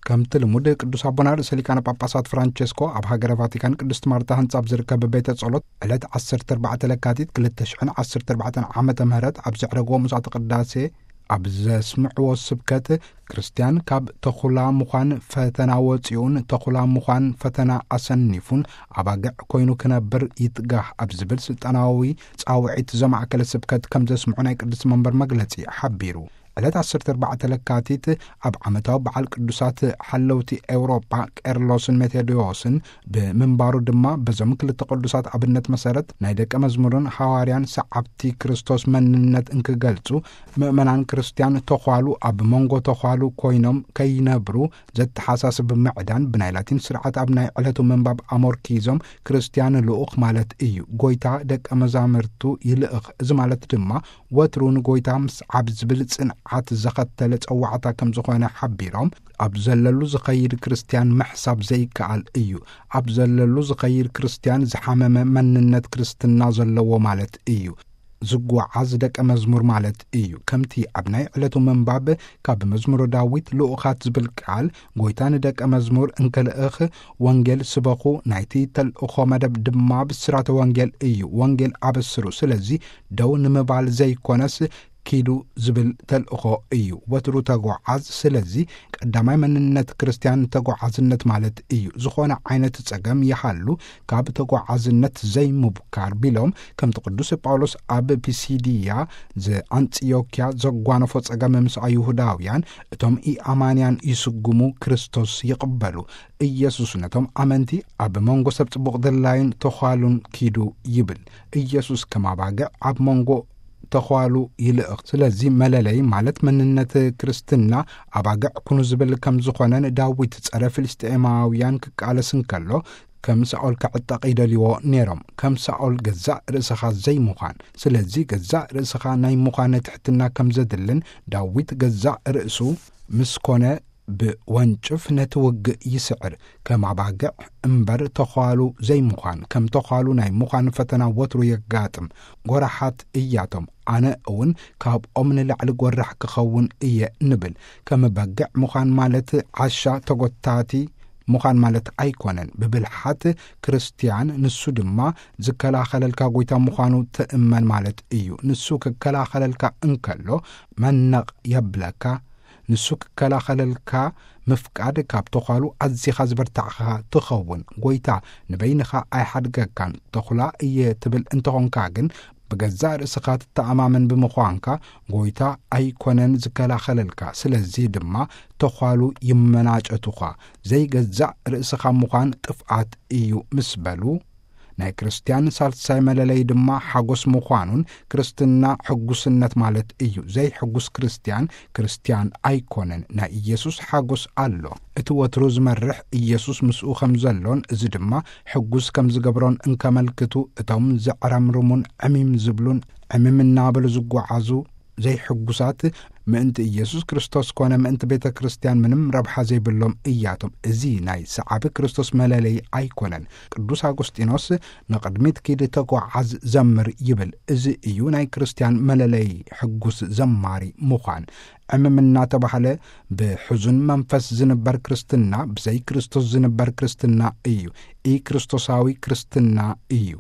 ከምቲ ልሙድ ቅዱስ ኣቦና ርእሰ ሊቃነ ጳጳሳት ፍራንቸስኮ ኣብ ሃገረ ቫቲካን ቅድስት ማርታ ህንጻ ኣብ ዝርከብ ቤተ ጸሎት ዕለት ዓሰርተ ኣርባዕተ ለካቲት ክልተ ሽሕን ዓሰርተ ኣርባዕተን ዓመተ ምህረት ኣብ ዘዕረግዎ ምሳተ ቅዳሴ ኣብ ዘስምዕዎ ስብከት፣ ክርስትያን ካብ ተኹላ ምዃን ፈተና ወጺኡን ተኹላ ምዃን ፈተና ኣሰኒፉን ኣባግዕ ኮይኑ ክነብር ይትጋህ ኣብ ዝብል ስልጣናዊ ጻውዒት ዘማእከለ ስብከት ከም ዘስምዑ ናይ ቅድስት መንበር መግለጺ ሓቢሩ። ዕለት ዓሰርተ ኣርባዕተ ለካቲት ኣብ ዓመታዊ በዓል ቅዱሳት ሓለውቲ ኤውሮጳ ቄርሎስን ሜቴዎስን ብምንባሩ ድማ፣ በዞም ክልተ ቅዱሳት ኣብነት መሰረት ናይ ደቀ መዝሙርን ሃዋርያን ሰዓብቲ ክርስቶስ መንነት እንክገልጹ፣ ምእመናን ክርስትያን ተዃሉ ኣብ መንጎ ተዃሉ ኮይኖም ከይነብሩ ዘተሓሳስብ ምዕዳን፣ ብናይ ላቲን ስርዓት ኣብ ናይ ዕለቱ ምንባብ ኣሞርኪዞም፣ ክርስትያን ልኡኽ ማለት እዩ። ጎይታ ደቀ መዛሙርቱ ይልእኽ። እዚ ማለት ድማ ወትሩ ንጎይታ ምስዓብ ዝብል ጽንዓት ዘኸተለ ጸዋዕታ ከም ዝኾነ ሓቢሮም፣ ኣብ ዘለሉ ዝኸይድ ክርስትያን ምሕሳብ ዘይከኣል እዩ። ኣብ ዘለሉ ዝኸይድ ክርስትያን ዝሓመመ መንነት ክርስትና ዘለዎ ማለት እዩ። ዝጓዓዝ ደቀ መዝሙር ማለት እዩ። ከምቲ ኣብ ናይ ዕለቱ ምንባብ ካብ መዝሙረ ዳዊት ልኡኻት ዝብል ቃል፣ ጎይታ ንደቀ መዝሙር እንክልእኽ፣ ወንጌል ስበኹ፣ ናይቲ ተልእኾ መደብ ድማ ብስራተ ወንጌል እዩ። ወንጌል ኣበስሩ። ስለዚ ደው ንምባል ዘይኮነስ ኪዱ ዝብል ተልእኾ እዩ። ወትሩ ተጓዓዝ። ስለዚ ቀዳማይ መንነት ክርስትያን ተጓዓዝነት ማለት እዩ። ዝኾነ ዓይነት ጸገም ይሃሉ ካብ ተጓዓዝነት ዘይምብካር ቢሎም፣ ከምቲ ቅዱስ ጳውሎስ ኣብ ፒሲድያ ዘኣንጽዮክያ ዘጓነፎ ጸገም ምስ ኣይሁዳውያን፣ እቶም ኢኣማንያን ይስጉሙ፣ ክርስቶስ ይቕበሉ። ኢየሱስ ነቶም ኣመንቲ ኣብ መንጎ ሰብ ጽቡቕ ድላይን ተዃሉን ኪዱ ይብል። ኢየሱስ ከም ኣባግዕ ኣብ መንጎ ተዃሉ ይልእኽ። ስለዚ መለለይ ማለት መንነት ክርስትና ኣባግዕ ኩኑ ዝብል ከም ዝኾነን ዳዊት ጸረ ፍልስጤማውያን ክቃለስ እንከሎ ከም ሳኦል ክዕጠቕ ይደልይዎ ነይሮም። ከም ሳኦል ገዛእ ርእስኻ ዘይምዃን። ስለዚ ገዛእ ርእስኻ ናይ ምዃን ትሕትና ከም ዘድልን ዳዊት ገዛእ ርእሱ ምስ ኮነ ብወንጭፍ ነቲ ውግእ ይስዕር። ከም ኣባግዕ እምበር ተዃሉ ዘይምዃን፣ ከም ተዃሉ ናይ ምዃን ፈተና ወትሩ የጋጥም። ጎራሓት እያቶም። ኣነ እውን ካብኦም ንላዕሊ ጎራሕ ክኸውን እየ ንብል። ከም በግዕ ምዃን ማለት ዓሻ ተጎታቲ ምዃን ማለት ኣይኮነን። ብብልሓት ክርስትያን ንሱ ድማ ዝከላኸለልካ ጎይታ ምዃኑ ትእመን ማለት እዩ። ንሱ ክከላኸለልካ እንከሎ መነቕ የብለካ። ንሱ ክከላኸለልካ ምፍቃድ ካብ ተዃሉ ኣዚኻ ዝበርታዕኻ ትኸውን። ጎይታ ንበይንኻ ኣይሓድገካን። ተኹላ እየ ትብል እንተኾንካ ግን፣ ብገዛእ ርእስኻ ትተኣማመን ብምዃንካ፣ ጎይታ ኣይኮነን ዝከላኸለልካ። ስለዚ ድማ ተዃሉ ይመናጨቱኻ። ዘይገዛእ ርእስኻ ምዃን ጥፍኣት እዩ ምስ በሉ፣ ናይ ክርስትያን ሳልሳይ መለለይ ድማ ሓጎስ ምዃኑን፣ ክርስትና ሕጉስነት ማለት እዩ። ዘይሕጉስ ክርስትያን፣ ክርስትያን ኣይኮነን። ናይ ኢየሱስ ሓጎስ ኣሎ። እቲ ወትሩ ዝመርሕ ኢየሱስ ምስኡ ከም ዘሎን፣ እዚ ድማ ሕጉስ ከም ዝገብሮን እንከመልክቱ፣ እቶም ዘዕረምርሙን ዕሚም ዝብሉን፣ ዕሚም እናበሉ ዝጓዓዙ ዘይሕጉሳት፣ ምእንቲ ኢየሱስ ክርስቶስ ኮነ ምእንቲ ቤተ ክርስትያን ምንም ረብሓ ዘይብሎም እያቶም። እዚ ናይ ሰዓቢ ክርስቶስ መለለይ ኣይኮነን። ቅዱስ ኣጎስጢኖስ፣ "ንቕድሚት ኪድ፣ ተጓዓዝ፣ ዘምር" ይብል። እዚ እዩ ናይ ክርስትያን መለለይ፣ ሕጉስ ዘማሪ ምዃን። ዕምም እናተባህለ ብሕዙን መንፈስ ዝንበር ክርስትና፣ ብዘይ ክርስቶስ ዝንበር ክርስትና እዩ። ኢ ክርስቶሳዊ ክርስትና እዩ።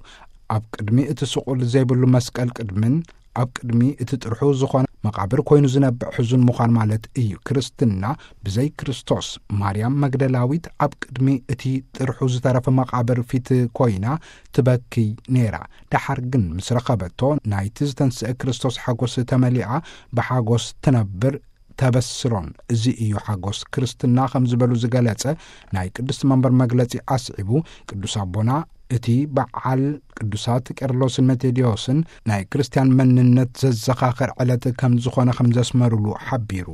ኣብ ቅድሚ እቲ ስቑል ዘይብሉ መስቀል ቅድምን ኣብ ቅድሚ እቲ ጥርሑ ዝኾነ መቓብር ኮይኑ ዝነብዕ ሕዙን ምዃን ማለት እዩ። ክርስትና ብዘይ ክርስቶስ፣ ማርያም መግደላዊት ኣብ ቅድሚ እቲ ጥርሑ ዝተረፈ መቓብር ፊት ኮይና ትበኪ ነይራ። ደሓር ግን ምስ ረኸበቶ፣ ናይቲ ዝተንስአ ክርስቶስ ሓጎስ ተመሊኣ ብሓጎስ ትነብር፣ ተበስሮን። እዚ እዩ ሓጎስ ክርስትና ከም ዝበሉ ዝገለጸ ናይ ቅድስት መንበር መግለጺ ኣስዒቡ፣ ቅዱስ ኣቦና፣ እቲ በዓል ቅዱሳት ቄርሎስን መቴድዮስን ናይ ክርስትያን መንነት ዘዘኻኽር ዕለት ከም ዝኾነ ከም ዘስመሩሉ ሓቢሩ።